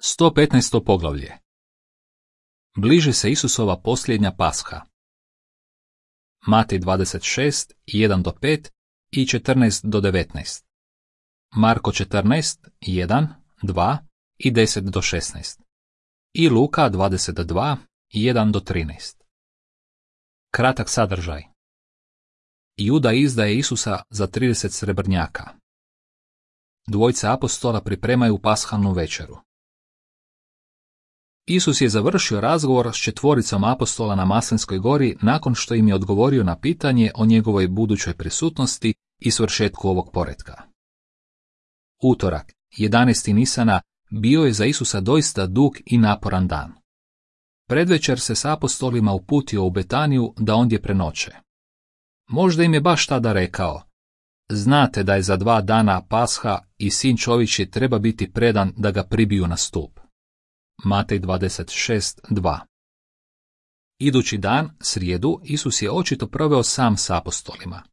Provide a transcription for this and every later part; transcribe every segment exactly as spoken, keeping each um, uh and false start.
sto petnaesto poglavlje. Bliži se Isusova posljednja pasha. Matej dvadeset šest, jedan do pet i četrnaest do devetnaest. Marko četrnaest, jedan, dva i deset do šesnaest. I Luka dvadeset dva, jedan do trinaest. Kratak sadržaj. Juda izdaje Isusa za trideset srebrnjaka. Dvojica apostola pripremaju pashalnu večeru. Isus je završio razgovor s četvoricom apostola na Maslinskoj gori nakon što im je odgovorio na pitanje o njegovoj budućoj prisutnosti i svršetku ovog poretka. Utorak, jedanaesti Nisana, bio je za Isusa doista dug i naporan dan. Predvečer se s apostolima uputio u Betaniju da ondje prenoće. Možda im je baš tada rekao: znate da je za dva dana Pasha i sin čovječji treba biti predan da ga pribiju na stup. Matej dvadeset šest, dva. Idući dan, srijedu, Isus je očito proveo sam s apostolima.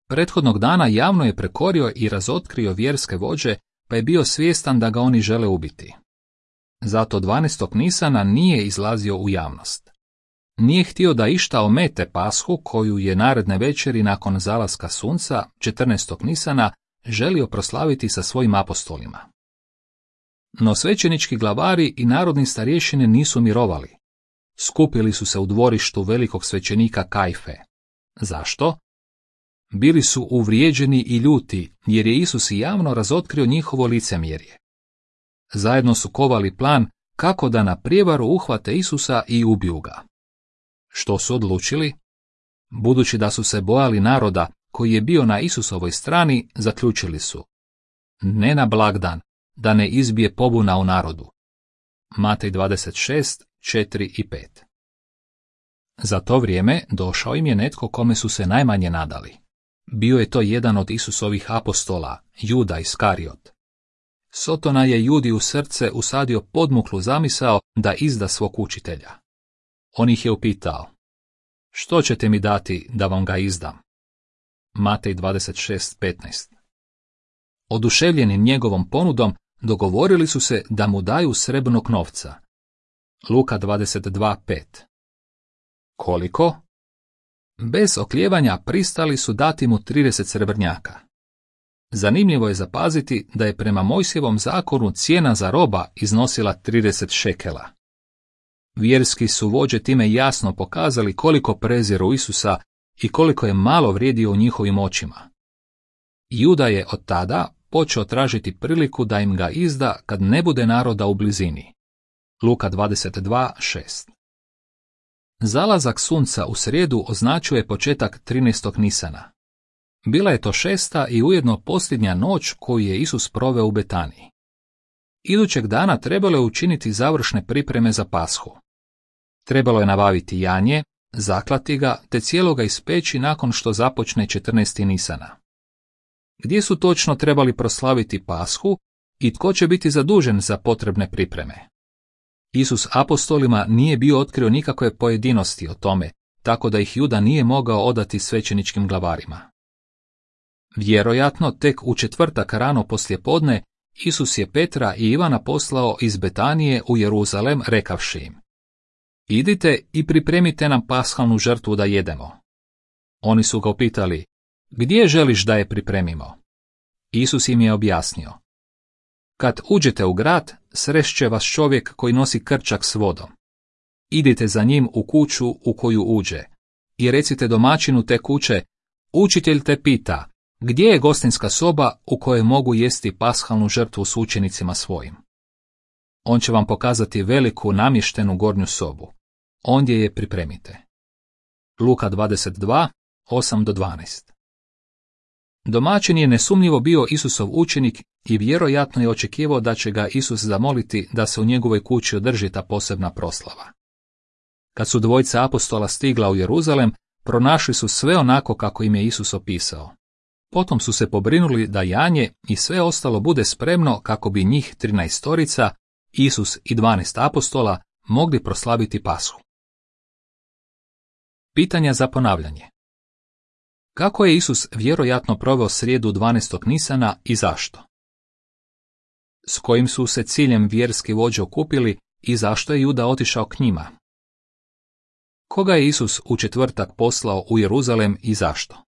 Prethodnog dana javno je prekorio i razotkrio vjerske vođe, pa je bio svjestan da ga oni žele ubiti. Zato dvanaestog Nisana nije izlazio u javnost. Nije htio da išta omete Pashu koju je naredne večeri nakon zalaska sunca, četrnaestog Nisana, želio proslaviti sa svojim apostolima. No svećenički glavari i narodni starješine nisu mirovali. Skupili su se u dvorištu velikog svećenika Kajfe. Zašto? Bili su uvrijeđeni i ljuti, jer je Isus javno razotkrio njihovo licemjerje. Zajedno su kovali plan kako da na prijevaru uhvate Isusa i ubiju ga. Što su odlučili? Budući da su se bojali naroda koji je bio na Isusovoj strani, zaključili su: ne na blagdan, da ne izbije pobuna u narodu. Matej dvadeset šest, četiri i pet. Za to vrijeme došao im je netko kome su se najmanje nadali. Bio je to jedan od Isusovih apostola, Juda Iskariot. Sotona je Judi u srce usadio podmuklu zamisao da izda svog učitelja. On ih je upitao: što ćete mi dati da vam ga izdam? Matej dvadeset šest, petnaest. Oduševljeni njegovom ponudom, dogovorili su se da mu daju srebrnog novca. Luka dvadeset dva, pet. Koliko? Bez oklijevanja pristali su dati mu trideset srebrnjaka. Zanimljivo je zapaziti da je prema Mojsijevom zakonu cijena za roba iznosila trideset šekela. Vjerski su vođe time jasno pokazali koliko preziru Isusa i koliko je malo vrijedio u njihovim očima. Juda je od tada počeo tražiti priliku da im ga izda kad ne bude naroda u blizini. Luka dvadeset dva, šest. Zalazak sunca u srijedu označuje početak trinaestog Nisana. Bila je to šesta i ujedno posljednja noć koju je Isus proveo u Betaniji. Idućeg dana trebalo je učiniti završne pripreme za Pashu. Trebalo je nabaviti janje, zaklati ga te cijelo ga ispeći nakon što započne četrnaesti Nisana. Gdje su točno trebali proslaviti Pashu i tko će biti zadužen za potrebne pripreme? Isus apostolima nije bio otkrio nikakve pojedinosti o tome, tako da ih Juda nije mogao odati svećeničkim glavarima. Vjerojatno tek u četvrtak rano poslijepodne Isus je Petra i Ivana poslao iz Betanije u Jeruzalem rekavši im: idite i pripremite nam pashalnu žrtvu da jedemo. Oni su ga upitali: gdje želiš da je pripremimo? Isus im je objasnio: kad uđete u grad, srešće vas čovjek koji nosi krčak s vodom. Idite za njim u kuću u koju uđe i recite domaćinu te kuće: učitelj te pita, gdje je gostinska soba u kojoj mogu jesti pashalnu žrtvu s učenicima svojim? On će vam pokazati veliku namještenu gornju sobu. Ondje je pripremite. Luka dvadeset dva, osam do dvanaest. Domaćin je nesumnjivo bio Isusov učenik i vjerojatno je očekivao da će ga Isus zamoliti da se u njegovoj kući održi ta posebna proslava. Kad su dvojica apostola stigla u Jeruzalem, pronašli su sve onako kako im je Isus opisao. Potom su se pobrinuli da janje i sve ostalo bude spremno kako bi njih trinaestorica, Isus i dvanaest apostola, mogli proslaviti Pashu. Pitanja za ponavljanje. Kako je Isus vjerojatno proveo srijedu dvanaestog Nisana i zašto? s kojim su se ciljem vjerski vođe okupili i zašto je Juda otišao k njima? Koga je Isus u četvrtak poslao u Jeruzalem i zašto?